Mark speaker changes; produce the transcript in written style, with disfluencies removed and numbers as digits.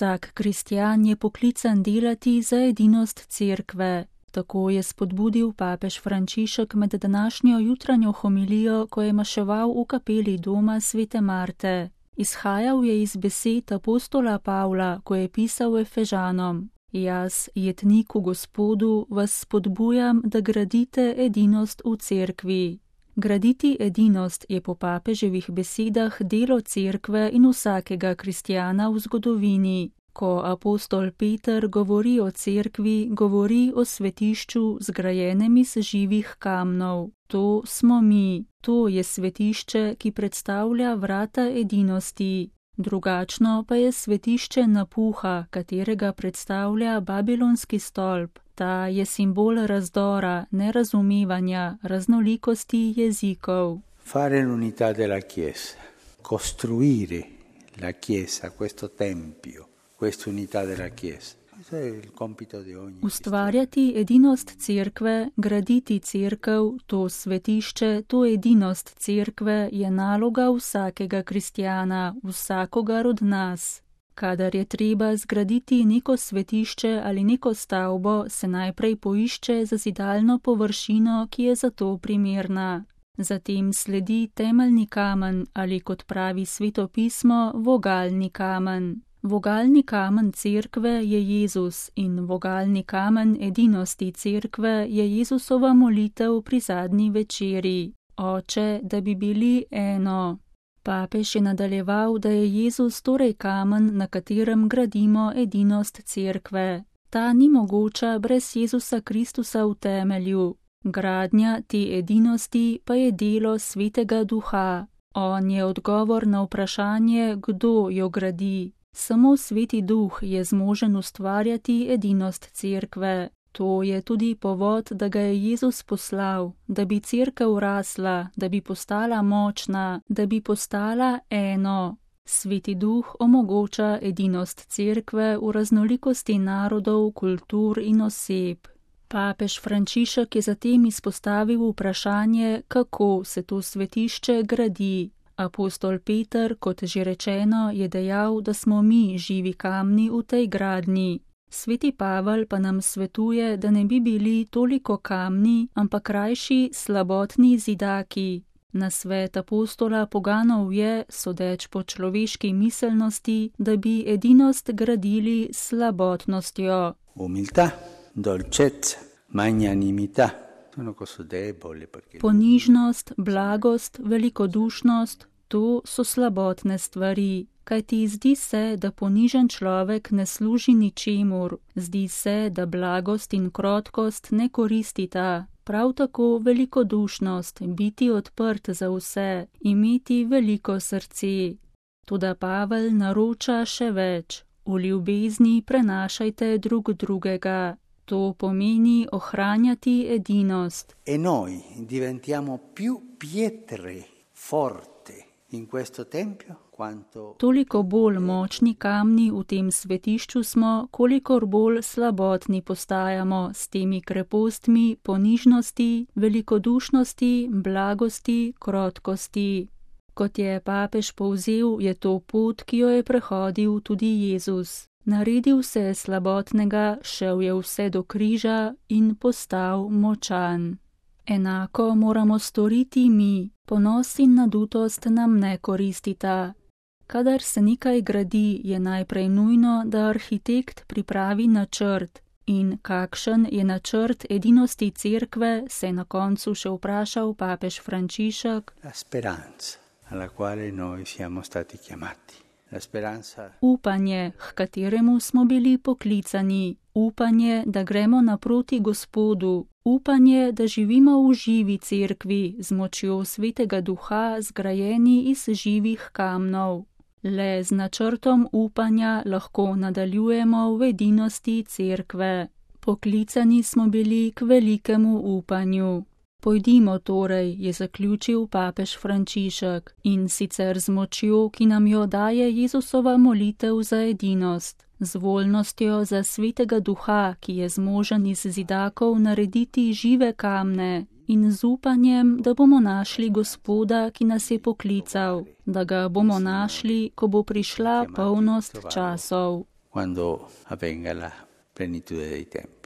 Speaker 1: Vsak kristjan je poklican delati za edinost cerkve. Tako je spodbudil papež Frančišek med današnjo jutranjo homilijo, ko je maševal v kapeli doma svete Marte. Izhajal je iz besed apostola Pavla, ko je pisal Efežanom: Jaz, jetnik v Gospodu, vas spodbujam, da gradite edinost v cerkvi. Graditi edinost je po papeževih besedah delo cerkve in vsakega kristjana v zgodovini. Ko apostol Peter govori o cerkvi, govori o svetišču zgrajenem iz živih kamnov. To smo mi, to je svetišče, ki predstavlja vrata edinosti. Drugačno pa je svetišče napuha, katerega predstavlja babilonski stolp. Ta je simbol razdora, nerazumevanja, raznolikosti jezikov.
Speaker 2: Fare l'unità della Chiesa, costruire la Chiesa, questo tempio, questa unità della Chiesa. Questo è il compito di ogni.
Speaker 1: Ustvarjati edinost cerkve, graditi cerkev, to svetišče, to edinost cerkve je naloga vsakega kristjana, vsakogar od nas. Kadar je treba zgraditi neko svetišče ali neko stavbo, se najprej poišče zazidalno površino, ki je za to primerna. Zatem sledi temeljni kamen ali, kot pravi Sveto pismo, vogalni kamen. Vogalni kamen cerkve je Jezus in vogalni kamen edinosti cerkve je Jezusova molitev pri zadnji večeri: Oče, da bi bili eno. Papež je nadaljeval, da je Jezus torej kamen, na katerem gradimo edinost cerkve. Ta ni mogoča brez Jezusa Kristusa v temelju. Gradnja te edinosti pa je delo Svetega Duha. On je odgovor na vprašanje, kdo jo gradi. Samo Sveti Duh je zmožen ustvarjati edinost cerkve. To je tudi povod, da ga je Jezus poslal, da bi cerkev rasla, da bi postala močna, da bi postala eno. Sveti Duh omogoča edinost cerkve v raznolikosti narodov, kultur in oseb. Papež Frančišek je zatem izpostavil vprašanje, kako se to svetišče gradi. Apostol Peter, kot že rečeno, je dejal, da smo mi živi kamni v tej gradnji. Sveti Pavel pa nam svetuje, da ne bi bili toliko kamni, ampak rajši slabotni zidaki. Nasvet apostola poganov je, sodeč po človeški miselnosti, da bi edinost gradili s slabotnostjo.
Speaker 2: Umiltà, dolcezza, magnanimità.
Speaker 1: Ponižnost, blagost, velikodušnost, to so slabotne stvari, kajti zdi se, da ponižen človek ne služi ničemur, zdi se, da blagost in krotkost ne koristita. Prav tako velikodušnost, biti odprt za vse, imeti veliko srce. Toda Pavel naroča še več: v ljubezni prenašajte drug drugega. To pomeni ohranjati edinost.
Speaker 2: E noi diventiamo più pietre forte in questo tempio quanto.
Speaker 1: Toliko bolj močni kamni v tem svetišču smo, kolikor bolj slabotni postajamo s temi krepostmi ponižnosti, velikodušnosti, blagosti, krotkosti. Kot je papež povzel, je to pot, ki jo je prehodil tudi Jezus. Naredil se je slabotnega, šel je vse do križa in postal močan. Enako moramo storiti mi, ponos in nadutost nam ne koristita. Kadar se nekaj gradi, je najprej nujno, da arhitekt pripravi načrt. In kakšen je načrt edinosti cerkve, se je na koncu še vprašal papež Frančišek.
Speaker 2: La speranza, alla quale noi siamo stati chiamati.
Speaker 1: Upanje, k kateremu smo bili poklicani, upanje, da gremo naproti Gospodu, upanje, da živimo v živi cerkvi z močjo Svetega Duha, zgrajeni iz živih kamnov. Le z načrtom upanja lahko nadaljujemo v edinosti cerkve. Poklicani smo bili k velikemu upanju. Pojdimo torej, je zaključil papež Frančišek, in sicer z močjo, ki nam jo daje Jezusova molitev za edinost, z voljnostjo za Svetega Duha, ki je zmožen iz zidakov narediti žive kamne, in z upanjem, da bomo našli Gospoda, ki nas je poklical, da ga bomo našli, ko bo prišla polnost časov.
Speaker 2: quando avvenga la plenitude dei tempi.